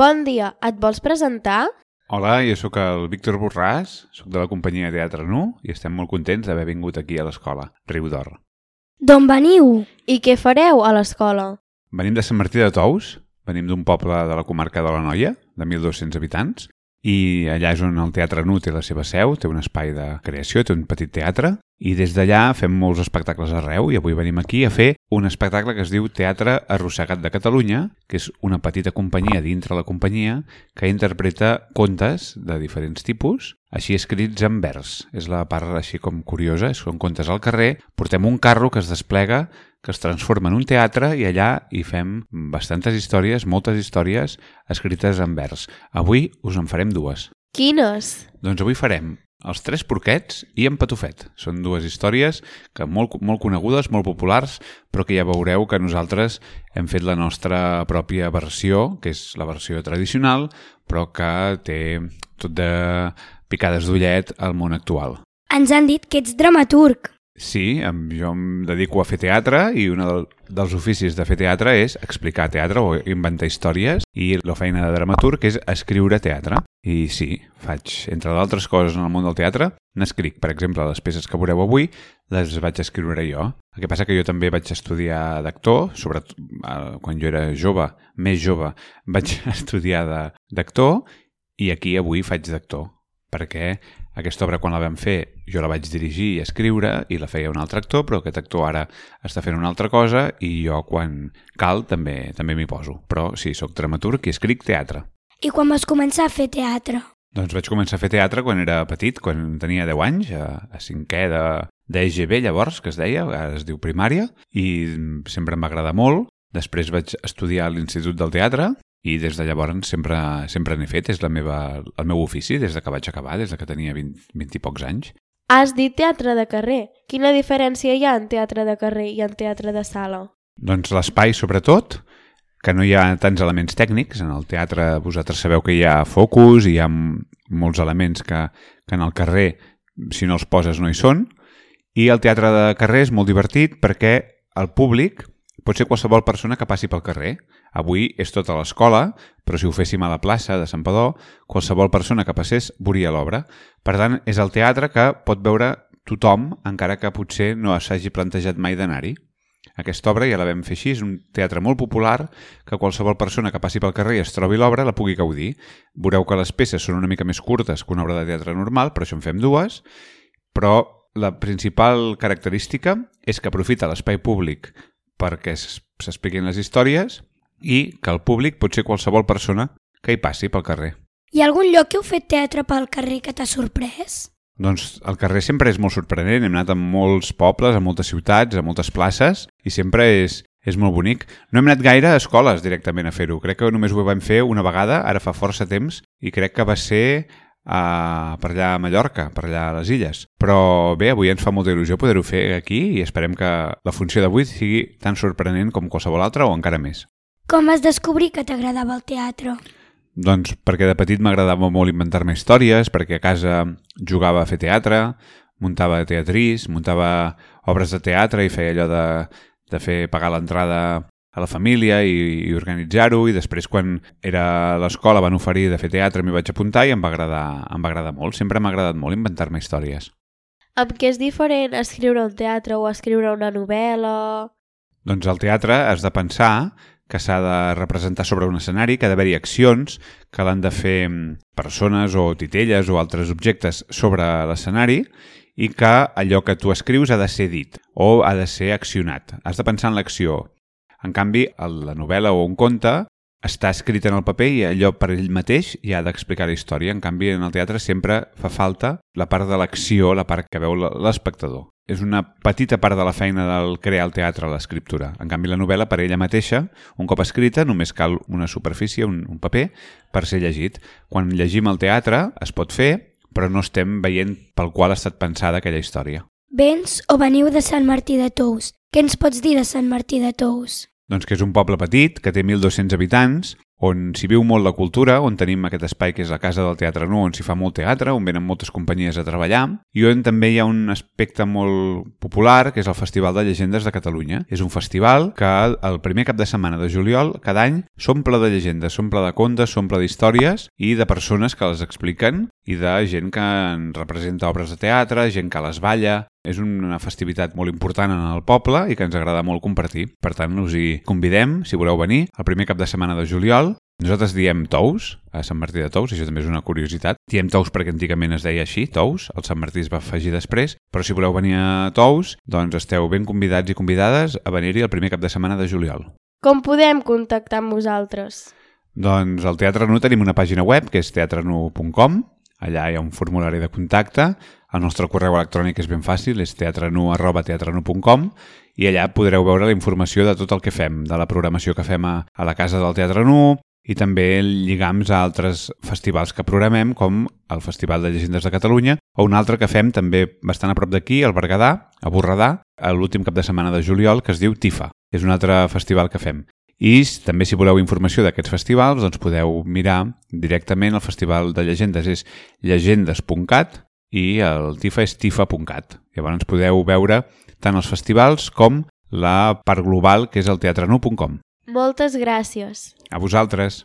Bon dia, et vols presentar? Hola, jo sóc el Víctor Borràs, sóc de la companyia Teatre Nu i estem molt contents d'haver vingut aquí a l'escola, Riu d'Or. D'on veniu? I què fareu a l'escola? Venim de Sant Martí de Tous, venim d'un poble de la comarca de l'Anoia, de 1.200 habitants, i allà és on el Teatre Nu té la seva seu, té un espai de creació, té un petit teatre, i des d'allà fem molts espectacles arreu, i avui venim aquí a fer un espectacle que es diu Teatre Arrossegat de Catalunya, que és una petita companyia dintre la companyia que interpreta contes de diferents tipus, així escrits en vers. És la part així com curiosa, són contes al carrer, portem un carro que es desplega, que es transforma en un teatre i allà hi fem bastantes històries, moltes històries escrites en vers. Avui us en farem dues. Quines? Doncs avui farem Els Tres Porquets i En Patufet. Són dues històries que molt conegudes, molt populars, però que ja veureu que nosaltres hem fet la nostra pròpia versió, que és la versió tradicional, però que té tot de picades d'ullet al món actual. Ens han dit que ets dramaturg. Sí, jo em dedico a fer teatre i un dels oficis de fer teatre és explicar teatre o inventar històries i la feina de dramaturg és escriure teatre. I sí, faig, entre d'altres coses en el món del teatre, n'escric. Per exemple, les peces que veureu avui les vaig escriure jo. El que passa que jo també vaig estudiar d'actor, sobretot quan jo era jove, més jove, vaig estudiar d'actor i aquí avui faig d'actor, perquè aquesta obra, quan la vam fer, jo la vaig dirigir i escriure i la feia un altre actor, però aquest actor ara està fent una altra cosa i jo, quan cal, també m'hi poso. Però sí, sóc dramaturg i escric teatre. I quan vas començar a fer teatre? Doncs vaig començar a fer teatre quan era petit, quan tenia 10 anys, a cinquè d'EGB, llavors, que es deia, ara es diu primària, i sempre em va agradar molt. Després vaig estudiar a l'Institut del Teatre, i des de llavors sempre n'he fet, és el meu ofici des de que vaig acabar, des de que tenia 20 i pocs anys. Has dit teatre de carrer. Quina diferència hi ha en teatre de carrer i en teatre de sala? Doncs l'espai, sobretot, que no hi ha tants elements tècnics. En el teatre vosaltres sabeu que hi ha focus, hi ha molts elements que en el carrer, si no els poses, no hi són. I el teatre de carrer és molt divertit perquè el públic pot ser qualsevol persona que passi pel carrer. Avui és tota l'escola, però si ho féssim a la plaça de Santpedor, qualsevol persona que passés veuria l'obra. Per tant, és el teatre que pot veure tothom, encara que potser no s'hagi plantejat mai d'anar-hi. Aquesta obra ja la vam fer així, és un teatre molt popular que qualsevol persona que passi pel carrer i es trobi l'obra la pugui gaudir. Veureu que les peces són una mica més curtes que una obra de teatre normal, per això en fem dues, però la principal característica és que aprofita l'espai públic perquè s'expliquin les històries i que el públic pot ser qualsevol persona que hi passi pel carrer. Hi ha algun lloc que heu fet teatre pel carrer que t'ha sorprès? Doncs el carrer sempre és molt sorprenent. Hem anat a molts pobles, a moltes ciutats, a moltes places i sempre és molt bonic. No hem anat gaire a escoles directament a fer-ho. Crec que només ho vam fer una vegada, ara fa força temps, i crec que va ser per allà a Mallorca, per allà a les Illes. Però bé, avui ens fa molta il·lusió poder-ho fer aquí i esperem que la funció d'avui sigui tan sorprenent com qualsevol altra o encara més. Com vas descobrir que t'agradava el teatre? Doncs perquè de petit m'agradava molt inventar-me històries, perquè a casa jugava a fer teatre, muntava teatrís, muntava obres de teatre i feia allò de fer pagar l'entrada a la família i organitzar-ho, i després quan era a l'escola van oferir de fer teatre, m'hi vaig apuntar i em va agradar molt. Sempre m'ha agradat molt inventar-me històries. Amb què és diferent escriure un teatre o escriure una novel·la? Doncs al teatre has de pensar que s'ha de representar sobre un escenari, que ha d'haver-hi accions, que l'han de fer persones o titelles o altres objectes sobre l'escenari i que allò que tu escrius ha de ser dit o ha de ser accionat. Has de pensar en l'acció. En canvi, la novel·la o un conte està escrit en el paper i allò per ell mateix ja ha d'explicar la història. En canvi, en el teatre sempre fa falta la part de l'acció, la part que veu l'espectador. És una petita part de la feina del crear el teatre, l'escriptura. En canvi, la novel·la, per ella mateixa, un cop escrita, només cal una superfície, un paper, per ser llegit. Quan llegim el teatre, es pot fer, però no estem veient pel qual ha estat pensada aquella història. Vens o veniu de Sant Martí de Tous? Què ens pots dir de Sant Martí de Tous? Doncs que és un poble petit, que té 1.200 habitants, on s'hi viu molt la cultura, on tenim aquest espai que és la Casa del Teatre Nu, on s'hi fa molt teatre, on venen moltes companyies a treballar, i on també hi ha un aspecte molt popular, que és el Festival de Llegendes de Catalunya. És un festival que el primer cap de setmana de juliol, cada any, s'omple de llegendes, s'omple de contes, s'omple d'històries i de persones que les expliquen i de gent que en representa obres de teatre, gent que les balla. És una festivitat molt important en el poble i que ens agrada molt compartir. Per tant, us hi convidem, si voleu venir, el primer cap de setmana de juliol. Nosaltres diem Tous, a Sant Martí de Tous, això també és una curiositat. Diem Tous perquè antigament es deia així, Tous, el Sant Martí es va afegir després, però si voleu venir a Tous, doncs esteu ben convidats i convidades a venir-hi el primer cap de setmana de juliol. Com podem contactar amb vosaltres? Doncs al Teatre Nu tenim una pàgina web que és teatrenu.com. Allà hi ha un formulari de contacte. El nostre correu electrònic és ben fàcil, és teatrenu@teatrenu.com, i allà podreu veure la informació de tot el que fem, de la programació que fem a la Casa del Teatre Nu, i també lligams a altres festivals que programem, com el Festival de Llegendes de Catalunya, o un altre que fem també bastant a prop d'aquí, al Berguedà, a Borredà, l'últim cap de setmana de juliol, que es diu TIFA. És un altre festival que fem. I també si voleu informació d'aquests festivals, doncs podeu mirar directament el Festival de Llegendes, és llegendes.cat, i el TIFA és tifa.cat. Llavors podeu veure tant els festivals com la part global, que és el teatrenu.com. Moltes gràcies. A vosaltres.